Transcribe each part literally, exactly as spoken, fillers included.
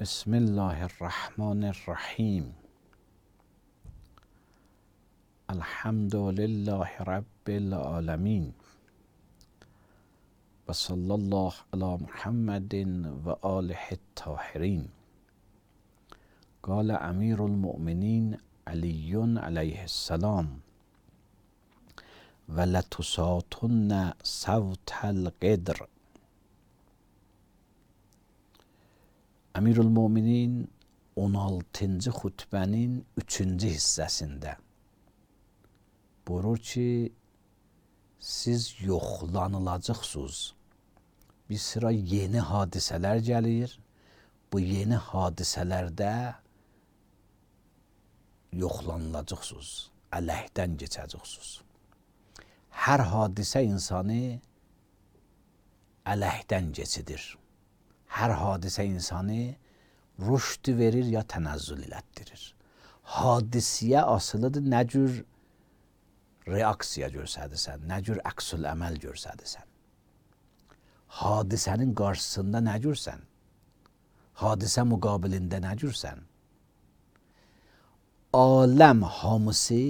بسم الله الرحمن الرحیم. الحمد لله رب العالمین و صلی الله علی محمد و آله الطاهرین. قال امیر المؤمنین علی علیه السلام و لتساطن صوت القدر. Əmirül-Möminin on altıncı xutbənin üçüncü hissəsində buyurur ki, siz yoxlanılacaqsınız. Bir sıra yeni hadisələr gəlir. Bu yeni hadisələrdə yoxlanılacaqsınız. Ələkdən keçəcəksiniz. Hər hadisə insanı ələkdən keçidir. Hər hadisə insanı rüşd verir ya tənəzzül elətdirir. Hadisiyə asılıdır, nə cür reaksiya görsədirsən, nə cür əksül əməl görsədirsən. Hadisənin qarşısında nə görsən? Hadisə müqabilində nə görsən? Aləm hamısı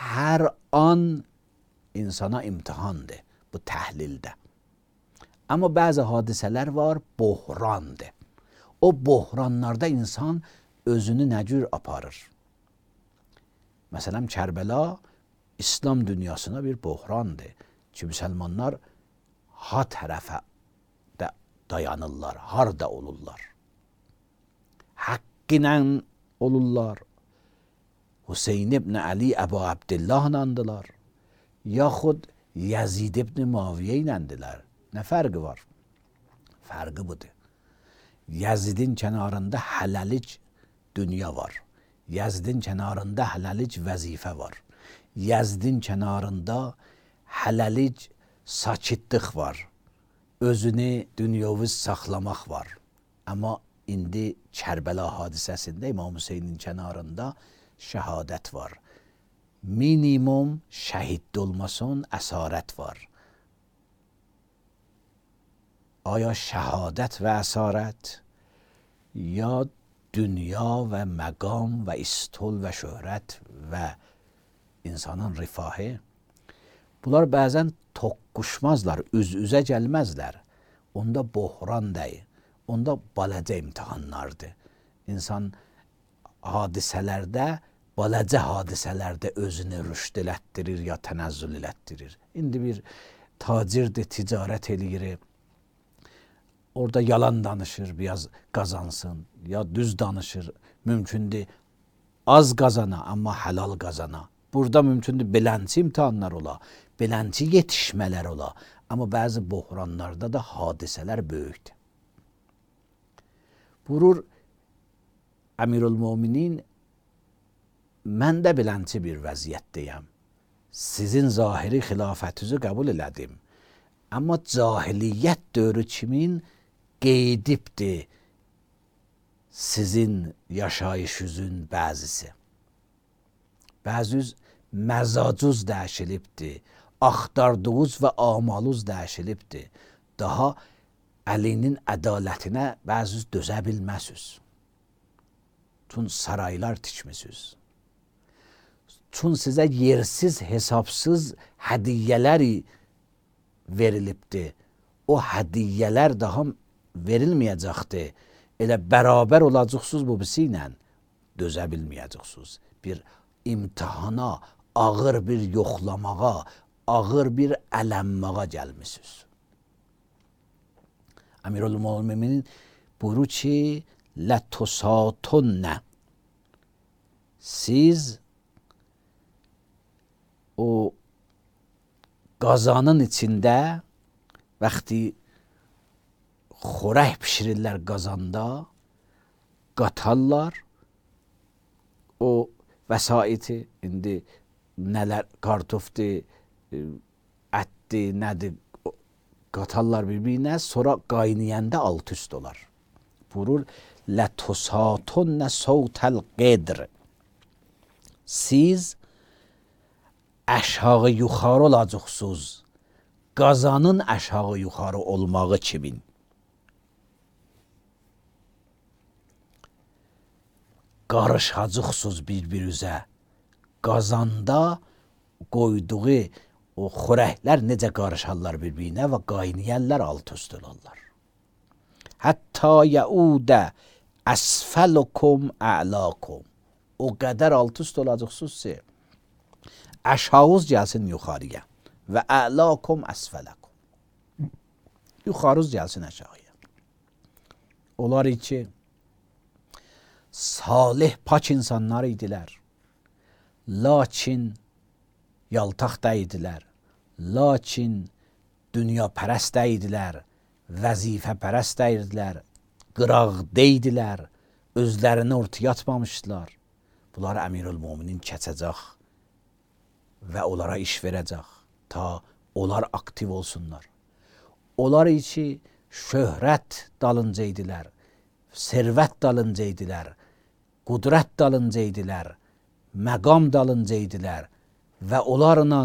hər an insana imtihandır bu təhlildə. Amma bəzi hadisələr var, bohrandır. O bohranlarda insan özünü nə cür aparır? Məsələn, Kərbəla İslam dünyasına bir bohrandır ki, müsəlmanlar ha tərəfə də dayanırlar, harda olurlar. Haqq ilə olurlar. Hüseyin ibn Ali Əbu Abdillah'nandılar. Yaxud Yazid ibn Muaviyə iləndilər. Nə fərqi var? Fərqi budur. Yazidin kənarında hələlik dünya var. Yazidin kənarında hələlik vəzifə var. Yazidin kənarında hələlik sakitlik var. Özünü dünyovi saxlamaq var. Amma indi Kərbəla hadisəsində İmam Hüseynin kənarında şəhadət var. Minimum şəhid olmasın, əsarət var. آیا شهادت و اسارت یا دنیا و مقام و استول و şöhrət və insanın rifahı? Bunlar bəzən toqquşmazlar, üz-üzə gəlməzlər. Onda bohran deyil, onda balaca imtihanlardır. İnsan hadisələrdə, balaca hadisələrdə özünü rüşd elətdirir ya tənəzzül elətdirir. İndi bir tacirdir, ticarət eləyir. Orada yalan danışır, biraz qazansın, ya düz danışır, mümkündür az qazana, amma halal qazana. Burada mümkündür belənçi imtihanlar ola, belənçi yetişmələr ola, amma bəzi bohranlarda da hadisələr böyükdür. Buyurur Əmirül-Möminin, mən də belənçi bir vəziyyətdəyəm. Sizin zahiri xilafətinizi qəbul elədim. Amma cahiliyyət dövrü kimin qeydibdir sizin yaşayışınızın bəzisi. Bəziniz məzacuz dəyişilibdir, axtardığınız və amalınız dəyişilibdir. Daha əlinin ədalətinə bəziniz dözə bilməzsiniz. Çün saraylar tikmisiniz. Çün sizə yersiz, hesabsız hədiyyələri verilibdir. O hədiyyələr daha verilməyəcəkdir. Elə bərabər olacaqsınız bu birisi ilə dözə bilməyəcəksiniz. Bir imtihana, ağır bir yoxlamağa, ağır bir ələnmağa gəlmişsiniz. Əmirül-Möminin buyurur ki, لَتُسَاطُنَّ siz o qazanın içində vaxtı xörək pişirirlər qazanda, qatarlar o vəsaiti, indi nələr, kartofdur, ətdir, nədir, qatarlar bir-birinə, sonra qaynayanda alt üst olar. Buyurur, لَتُسَاطُنَّ صَوْتَ الْقَدْرِ siz aşağı yuxarı olacaqsınız. Qazanın aşağı yuxarı olmağı kimin? qarışacaqsınız bir-birinizə. Qazanda qoyduğu o xörəklər necə qarışarlar bir-birinə və qaynayarlar, alt üst olarlar. Hətta yaudə əsfəlukum a'lakum. O qədər alt üst olacaqsınız ki, aşağınız gəlsin yuxarıya və a'lakum əsfələkum. Yuxarınız gəlsin aşağıya. Onlar ki, salih, pak insanlar idilər. Lakin yaltaq da idilər. Lakin dünya pərəst də idilər. Vəzifə pərəst də idilər. Qıraqda idilər. Özlərini ortaya atmamışdılar. Bunlar Əmirül-Möminin keçəcək və onlara iş verəcək ta onlar aktiv olsunlar. Onlar ki, şöhrət dalınca idilər, servət dalınca idilər, qudrət dalınca idilər, məqam dalınca idilər və onlarla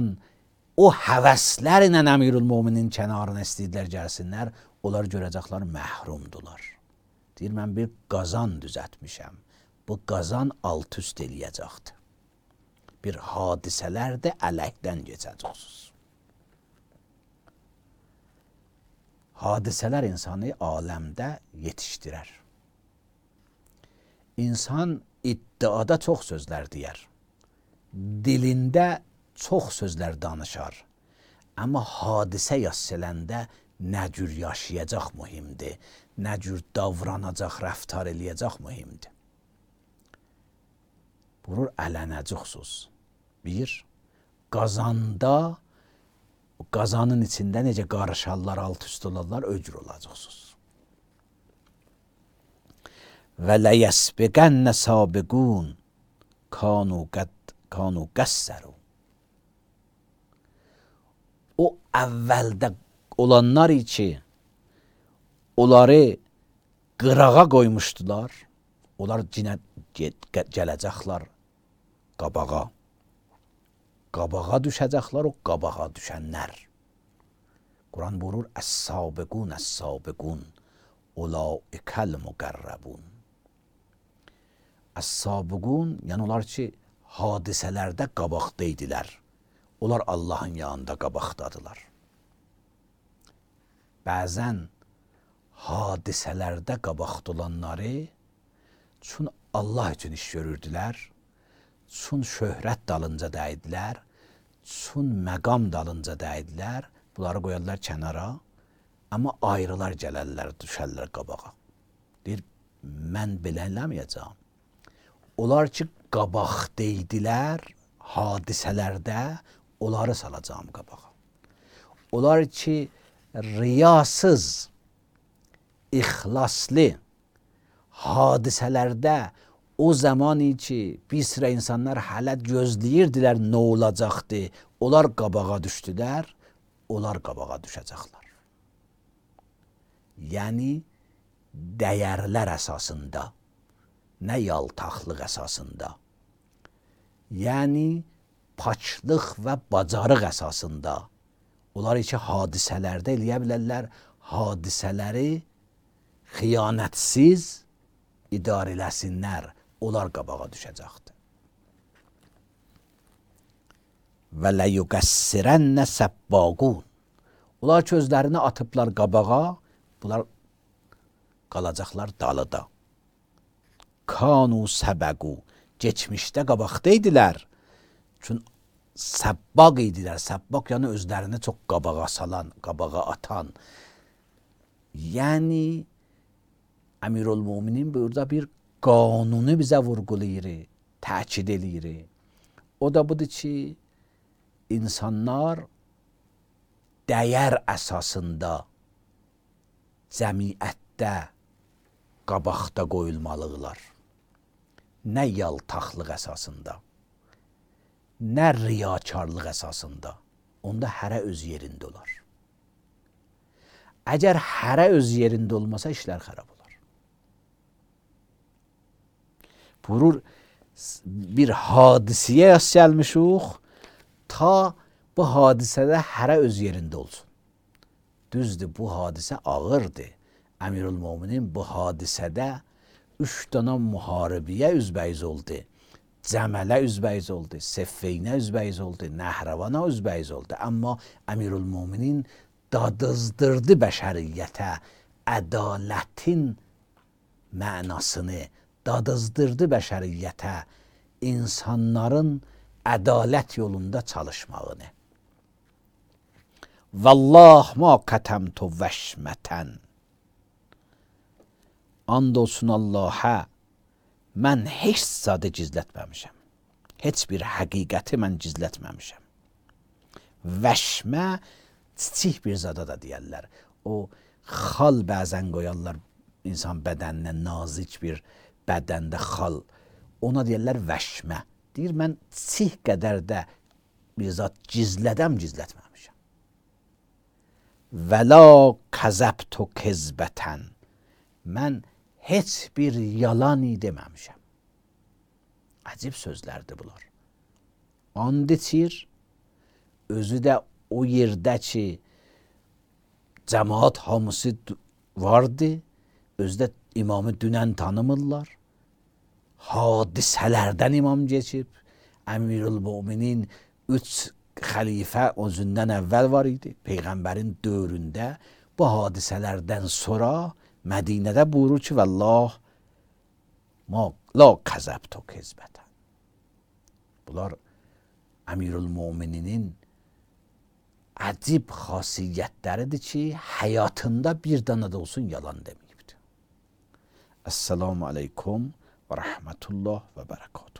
o həvəslərlə Əmirül-Möminin kənarına istəyirlər gəlsinlər, onlar görəcəklər məhrumdular. Deyir, mən bir qazan düzətmişəm. Bu qazan alt üst eləyəcəkdir. Bir hadisələr də ələkdən geçəcəksiniz. Hadisələr insanı aləmdə yetişdirər. İnsan iddiada çox sözlər deyər. Dilində çox sözlər danışar. Amma hadisə yaşayəndə nə cür yaşayacaq mühimdir. Nə cür davranacaq, rəftar eləyəcək mühimdir. Bunu ələnəcəksiniz. Bir, qazanda, qazanın içində necə qarışarlar, alt üst olarlar, öcür olacaqsınız. Və ləyəsbiqənnə sabiqun kanu qəssəru. O əvvəldə olanlar ki, onları qırağa qoymuşdular, onlar cinə gələcəklər qabağa. Qabağa düşəcəklər o qabağa düşənlər. Quran buyurur, əs-sabiqun, əs-sabiqun, ulaikəl müqərrəbun. Əs-sabiqun, yəni onlar ki, hadisələrdə qabaqda idilər. Onlar Allahın yanında qabaqdadılar. Bəzən hadisələrdə qabaqda olanları çün Allah üçün iş görürdülər, çün şöhrət dalınca dəyidilər, çün məqam dalınca dəyidilər, bunları qoyarlar kənara, amma ayrılar gələrlər, düşərlər qabağa. Deyir, mən belə eləməyəcəm. Onlar ki, qabaqda idilər, hadisələrdə, onları salacağım qabağa. Onlar ki, riyasız, ixlaslı, hadisələrdə o zaman ki, bir sıra insanlar hələ gözləyirdilər nə olacaqdı, onlar qabağa düşdülər, onlar qabağa düşəcəklər. Yəni, dəyərlər əsasında, nə yaltaqlıq əsasında, yəni, paçlıq və bacarıq əsasında, onlar ki, hadisələrdə eləyə bilərlər, hadisələri xiyanətsiz idarə eləsinlər, onlar qabağa düşəcəkdir. Və ləyuqəssirənnə səbbaqun. Onlar ki, özlərini atıblar qabağa, bunlar qalacaqlar dalıda. Kanu səbəqu. Geçmişdə qabaqda idilər. Çünki səbbaq idilər. Səbbaq yəni özlərini çox qabağa salan, qabağa atan. Yəni, Əmirül-Möminin burada bir qanunu bizə vurgulayır, təkid eləyir. O da budur ki, insanlar dəyər əsasında cəmiyyətdə qabaqda qoyulmalıdırlar. Nə yaltaqlıq əsasında, nə riyakarlıq əsasında. Onda hərə öz yerində olar. Əgər hərə öz yerində olmasa, işlər xərab olar. Buyurur, bir hadisəyə yas gəlmişik, ta bu hadisədə hərə öz yerində olsun. Düzdür, bu hadisə ağırdır. Əmirül-Möminin bu hadisədə üç dana müharibəyə üzbəyiz oldu. Cəmələ üzbəyiz oldu. Seffeynə üzbəyiz oldu. Nəhravana üzbəyiz oldu. Amma Əmirülmöminin dadızdırdı bəşəriyyətə ədalətin mənasını, dadızdırdı bəşəriyyətə insanların ədalət yolunda çalışmağını. Vallah ma qətəmtu vəşmətən. And olsun Allah'a, mən heç zadı gizlətməmişəm. Heç bir həqiqəti mən gizlətməmişəm. Vəşmə kiçik bir zada da deyərlər. O xal bəzən qoyarlar insan bədəninə, nazik bir bədəndə xal. Ona deyərlər vəşmə. Deyir, mən kiçik qədər də bir zat gizlədəm, gizlətməmişəm. Vəla kəzəbtu kezbətən. Mən heç bir yalan deməmişəm. Əcib sözlərdir bunlar. And içir, özü də o yerdə ki, cəmaat hamısı vardı, özü də imamı dünən tanımırlar. Hadisələrdən imam geçib. Əmirülmöminin üç xəlifə özündən əvvəl var idi. Peyğəmbərin dövründə bu hadisələrdən sonra Mədinədə buyurur ki, Vallah ma la kəzəbtu kezbətən. Bunlar Əmirülmöminin əcib xasiyyətləridir ki, həyatında bir dana da olsun yalan deməyibdir. Esselamu aleykum və rəhmətullah və bərəkatuhu.